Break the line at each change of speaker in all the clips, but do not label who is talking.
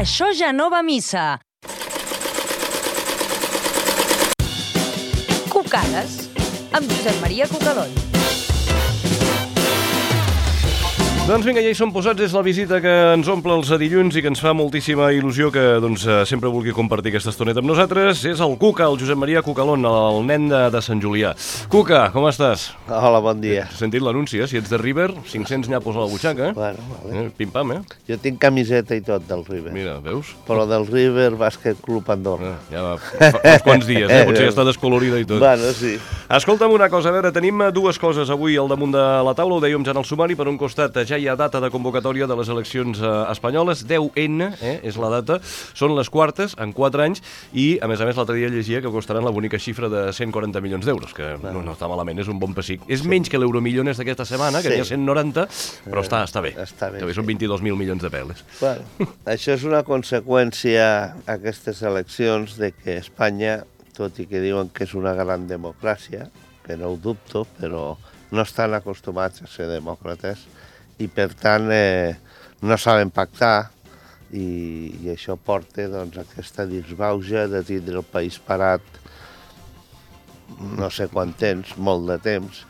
Això ja no va a missa. Cucades, amb Josep Maria Cucalón.
Doncs vinga, ja hi som posats, és la visita que ens omple els dilluns i que ens fa moltíssima il·lusió que sempre vulgui compartir aquesta estoneta amb nosaltres. És el Cuca, el Josep Maria Cucalón, el nen de Sant Julià. Cuca, com estàs?
Hola, bon dia.
Has sentit l'anunci, si ets de River, 500 nyapos a la butxaca.
Bueno, vale.
Pim-pam,
Jo tinc camiseta i tot del River.
Mira, veus?
Però del River Bàsquet Club Andorra.
Ja va, fa uns quants dies, potser ja està descolorida i tot.
Bueno, sí.
Escolta'm una cosa, a veure, tenim dues coses avui al damunt de la taula, ho dèiem ja en el sumari, per un costat ja hi ha data de convocatòria de les eleccions espanyoles, 10N, és la data, són les quartes en 4 anys i, a més, l'altre dia llegia que costaran la bonica xifra de 140 milions d'euros, que no està malament, és un bon pessic. És menys que l'Euromillones d'aquesta setmana, que n'hi ha 190, però està bé.
Està bé.
També són 22.000 milions de peles.
Bueno, això és una conseqüència, aquestes eleccions, de que Espanya, tot i que diuen que és una gran democràcia, que no ho dubto, però no estan acostumats a ser demòcrates, i per tant no saben pactar i això porta aquesta disbauxa de tindre el país parat no sé quant temps, molt de temps,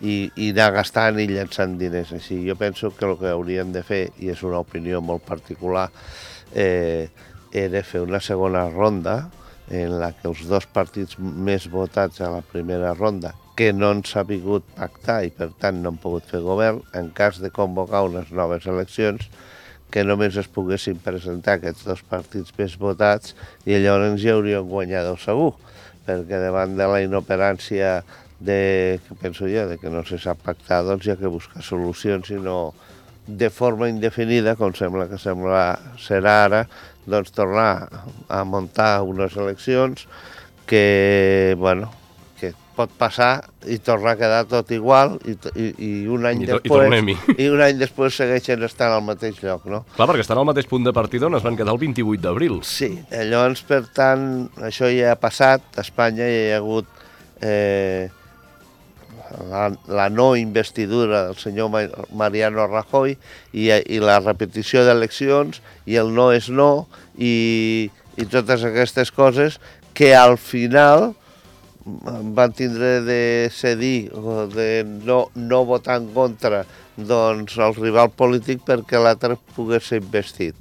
i anar gastant i llançant diners així. Jo penso que el que haurien de fer, i és una opinió molt particular, era fer una segona ronda en la que els dos partits més votats a la primera ronda, que no han sabut pactar i per tant no han pogut fer govern, en cas de convocar unes noves eleccions, que només es poguessin presentar aquests dos partits més votats i llavors ja haurien guanyat segur, perquè davant de la inoperància que penso jo, de que no se sap pactar, doncs hi ha que buscar solucions i no de forma indefinida, com serà ara, doncs tornar a muntar unes eleccions que, bueno, que pot passar i tornar a quedar tot igual i un any després segueixen estant al mateix lloc, no?
Clar, perquè estan al mateix punt de partida on es van quedar el 28 d'abril.
Sí, llavors, per tant, això ja ha passat, a Espanya ja hi ha hagut la no investidura del senyor Mariano Rajoy i la repetició d'eleccions i el no és no i totes aquestes coses que al final van tindre de cedir o de no votar en contra doncs el rival polític perquè l'altre pogués ser investit.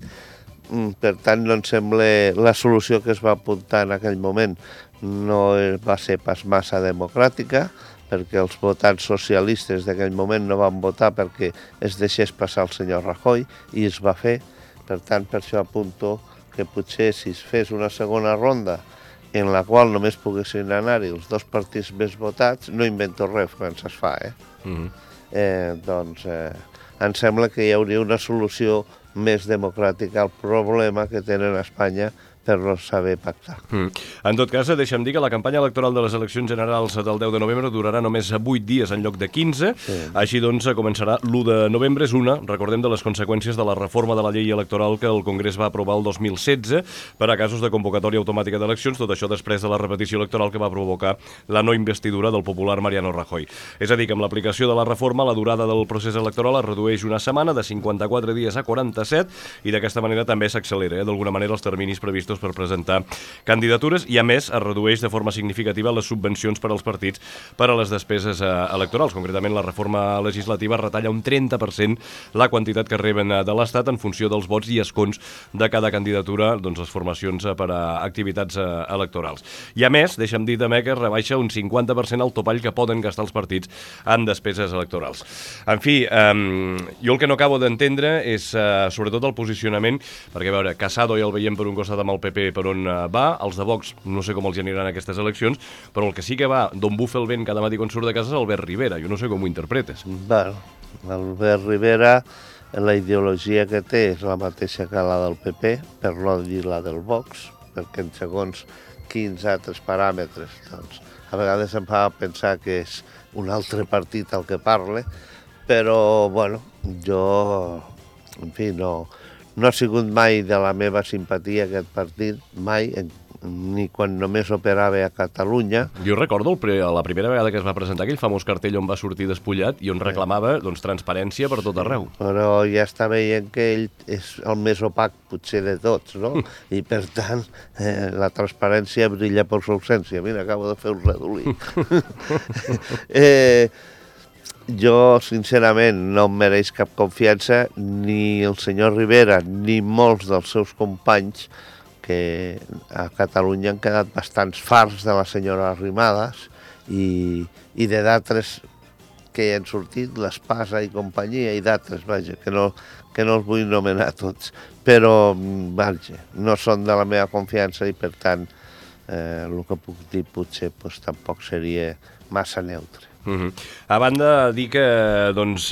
Per tant, no em sembla la solució que es va apuntar en aquell moment no va ser pas massa democràtica, perquè els votants socialistes d'aquell moment no van votar perquè es deixés passar el senyor Rajoy i es va fer. Per tant, per això apunto que potser si es fes una segona ronda en la qual només poguessin anar-hi els dos partits més votats, no invento res quan es fa, doncs em sembla que hi hauria una solució més democràtica al problema que tenen a Espanya per no saber pactar.
En tot cas, deixa'm dir que la campanya electoral de les eleccions generals del 10 de novembre durarà només 8 dies en lloc de 15, així doncs començarà l'1 de novembre, és una, recordem, de les conseqüències de la reforma de la llei electoral que el Congrés va aprovar el 2016 per a casos de convocatòria automàtica d'eleccions, tot això després de la repetició electoral que va provocar la no investidura del popular Mariano Rajoy. És a dir, que amb l'aplicació de la reforma la durada del procés electoral es redueix una setmana, de 54 dies a 47, i d'aquesta manera també s'accelera, d'alguna manera, els terminis previstos per presentar candidatures i, a més, es redueix de forma significativa les subvencions per als partits per a les despeses electorals. Concretament, la reforma legislativa retalla un 30% la quantitat que reben de l'Estat en funció dels vots i escons de cada candidatura, doncs les formacions per a activitats electorals. I, a més, deixa'm dir també que rebaixa un 50% el topall que poden gastar els partits en despeses electorals. En fi, jo el que no acabo d'entendre és sobretot el posicionament, perquè, a veure, Casado ja el veiem per un costat amb el PP per on va, els de Vox no sé com els aniran aquestes eleccions, però el que sí que va d'on bufa el vent cada matí quan surt de casa és Albert Rivera. Jo no sé com ho interpretes.
Bueno, Albert Rivera, la ideologia que té és la mateixa que la del PP, per no dir la del Vox, perquè en segons quins altres paràmetres, doncs, a vegades em fa pensar que és un altre partit el que parla, però, bueno, jo, en fi, no ha sigut mai de la meva simpatia aquest partit, mai, ni quan només operava a Catalunya.
Jo recordo la primera vegada que es va presentar aquell famós cartell on va sortir despullat i on reclamava transparència per tot arreu.
Però ja està veient que ell és el més opac potser de tots, no? I per tant, la transparència brilla per su ausència. Mira, acabo de fer un redolí. Jo, sincerament, no em mereix cap confiança ni el senyor Rivera ni molts dels seus companys, que a Catalunya han quedat bastants farts de la senyora Arrimadas i de d'altres que hi han sortit, l'Espasa i companyia, i d'altres, vaja, que no els vull nomenar tots, però, vaja, no són de la meva confiança i, per tant, el que puc dir potser tampoc seria massa neutre.
A banda, dir que els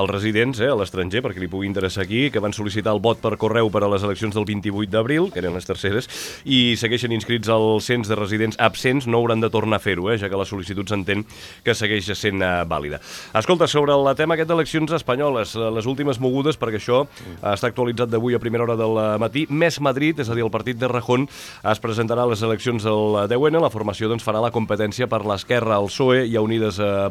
residents a l'estranger, perquè li pugui interessar aquí, que van sol·licitar el vot per correu per a les eleccions del 28 d'abril, que eren les terceres, i segueixen inscrits al cens de residents absents, no hauran de tornar a fer-ho, ja que la sol·licitud s'entén que segueix sent vàlida. Escolta, sobre el tema aquest d'eleccions espanyoles, les últimes mogudes, perquè això està actualitzat d'avui a primera hora del matí, Més Madrid, és a dir, el partit de Rejón, es presentarà a les eleccions del 10N, la formació farà la competència per l'esquerra, el PSOE i a Unides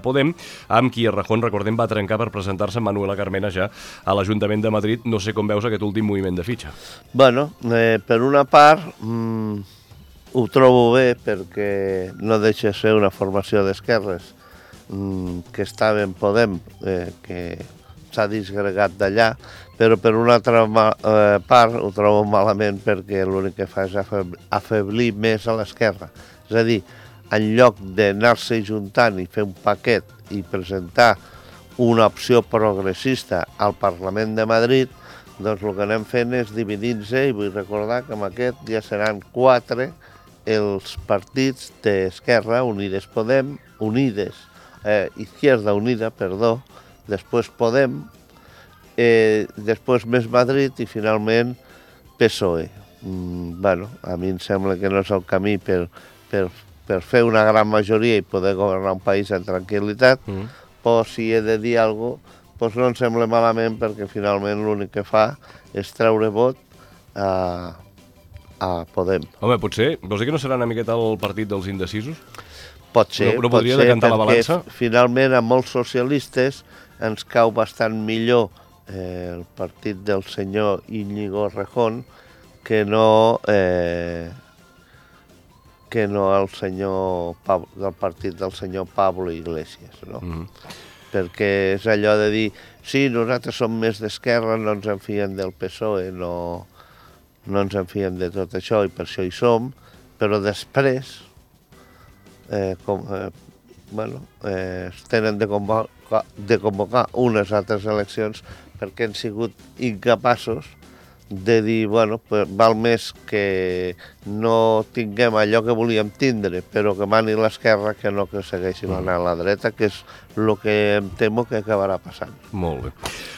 Podem, amb qui Rejón, recordem, va trencar per presentar-se Manuela Carmena ja a l'Ajuntament de Madrid. No sé com veus aquest últim moviment de fitxa.
Bueno, per una part, ho trobo bé perquè no deixa ser una formació d'esquerres que estava en Podem, que s'ha disgregat d'allà, però per una altra part ho trobo malament perquè l'únic que fa és afeblir més a l'esquerra. És a dir, en lloc d'anar-se juntant i fer un paquet i presentar una opció progressista al Parlament de Madrid, doncs el que anem fent és dividir-se, i vull recordar que amb aquest ja seran 4 els partits d'Esquerra, Unides Podem, Izquierda Unida, perdó, després Podem, després Més Madrid i finalment PSOE. Bueno, a mi em sembla que no és el camí per fer una gran majoria i poder governar un país en tranquil·litat, però si he de dir alguna cosa, no em sembla malament perquè finalment l'únic que fa és treure vot a Podem.
Home, potser, vols dir que no serà una miqueta el partit dels indecisos?
Pot ser,
no podria decantar la balança?
Finalment a molts socialistes ens cau bastant millor el partit del senyor Íñigo Rejón que no el del partit del senyor Pablo Iglesias, no? Perquè és allò de dir, sí, nosaltres som més d'esquerra, no ens en fiem del PSOE, no ens en fiem de tot això i per això hi som, però després es tenen de convocar unes altres eleccions perquè han sigut incapaços de dir, bueno, val més que no tinguem allò que volíem tindre, però que mani l'esquerra que no que segueixi manant la dreta, que és el que em temo que acabarà passant.
Molt bé.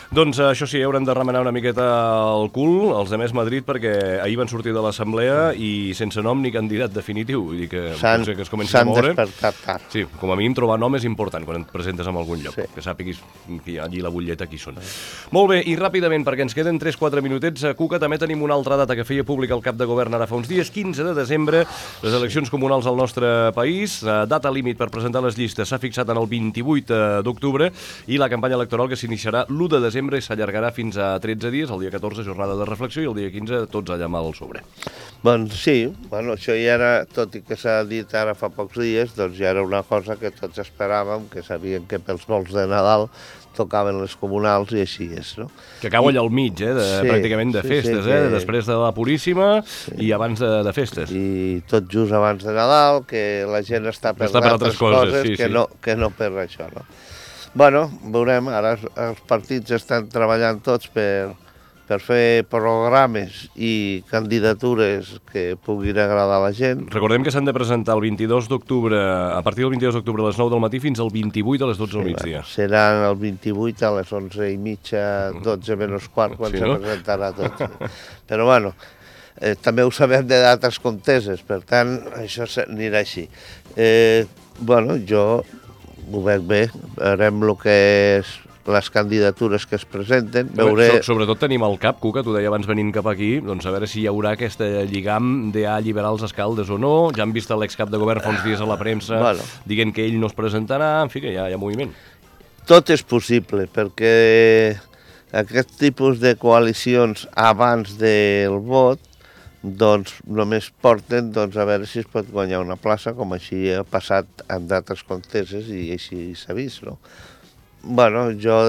Doncs això sí, hauran de remenar una miqueta el cul, els de Més Madrid, perquè ahir van sortir de l'assemblea i sense nom ni candidat definitiu. Vull dir que potser que es comencin a moure.
S'han despertat tard.
Sí, com a mínim trobar nom és important quan et presentes en algun lloc, que sàpiguis que hi ha allí la butlleta qui són. Molt bé, i ràpidament, perquè ens queden 3-4 minutets, a Cuca també tenim una altra data que feia públic el cap de govern ara fa uns dies, 15 de desembre, les eleccions comunals al nostre país, data límit per presentar les llistes s'ha fixat en el 28 d'octubre i la campanya electoral que s'iniciarà l'1 de desembre i s'allargarà fins a 13 dies, el dia 14 jornada de reflexió i el dia 15 tots allà amb el sobre.
Doncs sí, això ja era, tot i que s'ha dit ara fa pocs dies, doncs ja era una cosa que tots esperàvem, que sabien que pels vols de Nadal tocaven les comunals i així és, no?
Que cau allà al mig, pràcticament de festes, després de la Puríssima i abans de festes.
I tot just abans de Nadal, que la gent està per altres coses que no per això, no? Bueno, veurem, ara els partits estan treballant tots per fer programes i candidatures que puguin agradar a la gent.
Recordem que s'han de presentar el 22 d'octubre, a partir del 22 d'octubre a les 9 del matí fins al 28 a les 12 del migdia.
Seran el 28 a les 11:30, 12 menys quart, quan se presentarà tot. Però bueno, també ho sabem de dates conteses, per tant, això anirà així. Bueno, jo ho veig bé, veurem el que és les candidatures que es presenten. Veuré...
Sobretot tenim al cap, Cuca, tu deia abans venint cap aquí, doncs a veure si hi haurà aquest lligam d'alliberar els alcaldes o no. Ja han vist l'excap de govern fa uns dies a la premsa dient que ell no es presentarà, en fi, que hi ha moviment. Tot
és possible, perquè aquest tipus de coalicions abans del vot doncs només porten a veure si es pot guanyar una plaça, com així ha passat en d'altres conteses i així s'ha vist, no? Bueno, jo,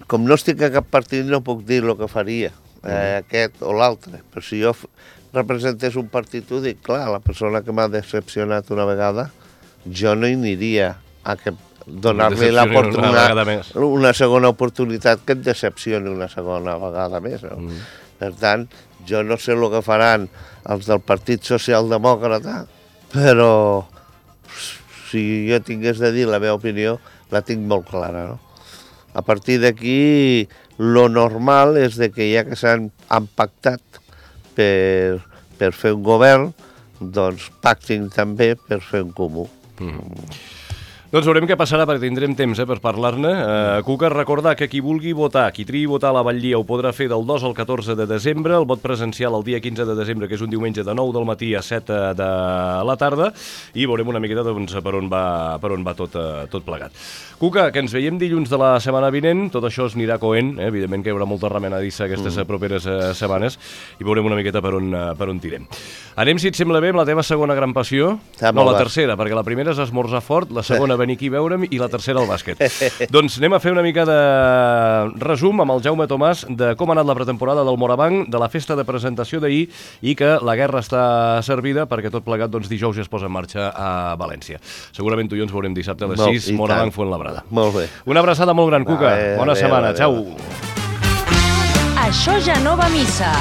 com no estic a cap partit, no puc dir el que faria, aquest o l'altre, però si jo representés un partit, ho dic, clar, la persona que m'ha decepcionat una vegada, jo no hi aniria a donar-li una segona oportunitat que et decepcioni una segona vegada més, no? Per tant, jo no sé el que faran els del Partit Socialdemòcrata, però si jo tingués de dir la meva opinió, la tinc molt clara, no? A partir d'aquí, lo normal és que ja que s'han pactat per fer un govern, doncs pactin també per fer un comú.
Doncs veurem què passarà, perquè tindrem temps per parlar-ne. Cuca, recordar que qui vulgui votar, qui triï votar a la Batllia, ho podrà fer del 2 al 14 de desembre, el vot presencial el dia 15 de desembre, que és un diumenge de 9 del matí a 7 de la tarda, i veurem una miqueta per on va tot plegat. Cuca, que ens veiem dilluns de la setmana vinent, tot això es anirà coent, evidentment que hi haurà molta remenadissa aquestes properes setmanes, i veurem una miqueta per on tirem. Anem, si et sembla bé, amb la teva segona gran passió, no, la tercera, perquè la primera és esmorzar fort, la segona venir aquí a veure'm i la tercera al bàsquet. Doncs anem a fer una mica de resum amb el Jaume Tomàs de com ha anat la pretemporada del Morabanc, de la festa de presentació d'ahir i que la guerra està servida perquè tot plegat dijous ja es posa en marxa a València. Segurament tu i jo ens veurem dissabte a les 6, Morabanc Fuenlabrada.
Molt bé.
Una abraçada molt gran, Cuca. Bona setmana. Ciao.
Això ja no va a missa.